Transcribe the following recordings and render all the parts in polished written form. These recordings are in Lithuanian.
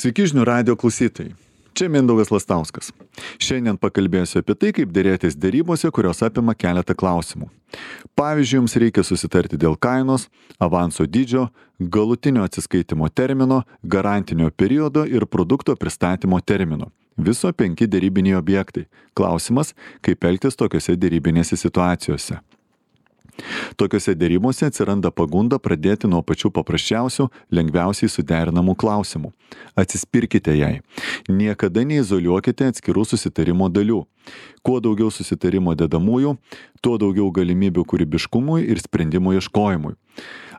Sveiki žinių radijo klausytojai. Čia Mindaugas Lastauskas. Šiandien pakalbėsiu apie tai, kaip derėtis derybose, kurios apima keletą klausimų. Pavyzdžiui, jums reikia susitarti dėl kainos, avanso dydžio, galutinio atsiskaitimo termino, garantinio periodo ir produkto pristatymo termino. Viso 5 derybiniai objektai. Klausimas, kaip elgtis tokiose derybinėse situacijose. Tokiose derybose atsiranda pagunda pradėti nuo pačių paprasčiausių, lengviausiai suderinamų klausimų. Atsispirkite jai. Niekada neizoliuokite atskirų susitarimo dalių. Kuo daugiau susitarimo dedamųjų, tuo daugiau galimybių kūrybiškumui ir sprendimų ieškojimui.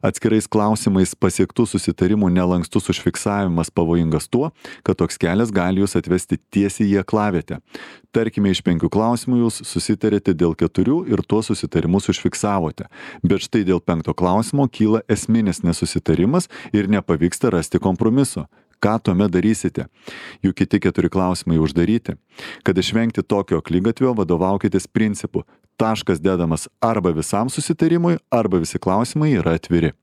Atskirais klausimais pasiektų susitarimų nelankstus užfiksavimas pavojingas tuo, kad toks kelias gali jūs atvesti tiesiai į aklavietę. Tarkime, iš 5 klausimų jūs susitarėte dėl 4 ir tuos susitarimus užfiksavote. Bet štai dėl 5 klausimo kyla esminis nesusitarimas ir nepavyksta rasti kompromiso. Ką tuomet darysite? Juk kiti 4 klausimai uždaryti. Kad išvengti tokio akligatvio, vadovaukitės principu. Taškas dedamas arba visam susitarimui, arba visi klausimai yra atviri.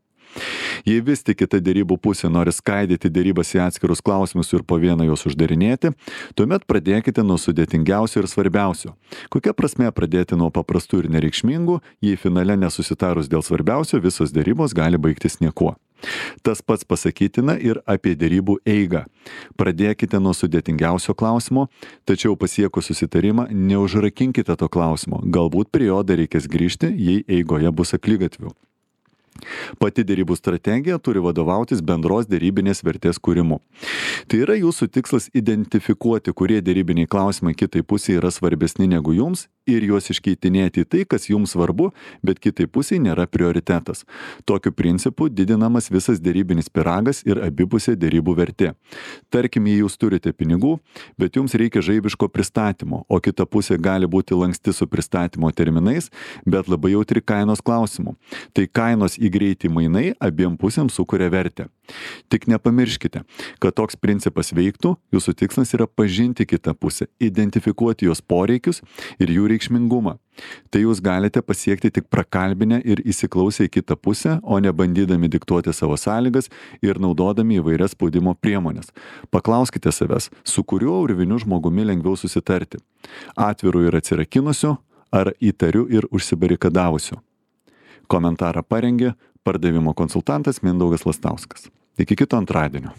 Jei vis tik kita derybų pusė nori skaidyti derybas į atskirus klausimus ir po vieną juos uždarinėti, tuomet pradėkite nuo sudėtingiausio ir svarbiausio. Kokia prasmė pradėti nuo paprastų ir nereikšmingų, jei finale nesusitarus dėl svarbiausio, visos derybos gali baigtis niekuo. Tas pats pasakytina ir apie derybų eigą. Pradėkite nuo sudėtingiausio klausimo, tačiau pasiekus susitarimą neužrakinkite to klausimo. Galbūt prie jo dar reikės grįžti, jei eigoje bus akligatvių. Pati derybų strategija turi vadovautis bendros derybinės vertės kūrimu. Tai yra jūsų tikslas identifikuoti, kurie derybiniai klausimai kitai pusei yra svarbesni negu jums ir juos iškeitinėti į tai, kas jums svarbu, bet kitai pusiai nėra prioritetas. Tokiu principu didinamas visas derybinis pyragas ir abipusė derybų vertė. Tarkim, jei jūs turite pinigų, bet jums reikia žaibiško pristatymo, o kita pusė gali būti lanksti su pristatymo terminais, bet labai jautri kainos klausimu. Tai kainos į greitį mainai abiem pusėms sukuria vertę. Tik nepamirškite, kad toks principas veiktų, jūsų tikslas yra pažinti kitą pusę, identifikuoti jos poreikius ir jų reikšmingumą. Tai jūs galite pasiekti tik prakalbinę ir įsiklausę į kitą pusę, o ne bandydami diktuoti savo sąlygas ir naudodami įvairias spaudimo priemonės. Paklauskite savęs, su kuriuo urviniu žmogumi lengviau susitarti. Atviru ir atsirakinusiu, ar įtariu ir užsibarikadavusiu. Komentarą parengė pardavimo konsultantas Mindaugas Lastauskas. Iki kito antradienio.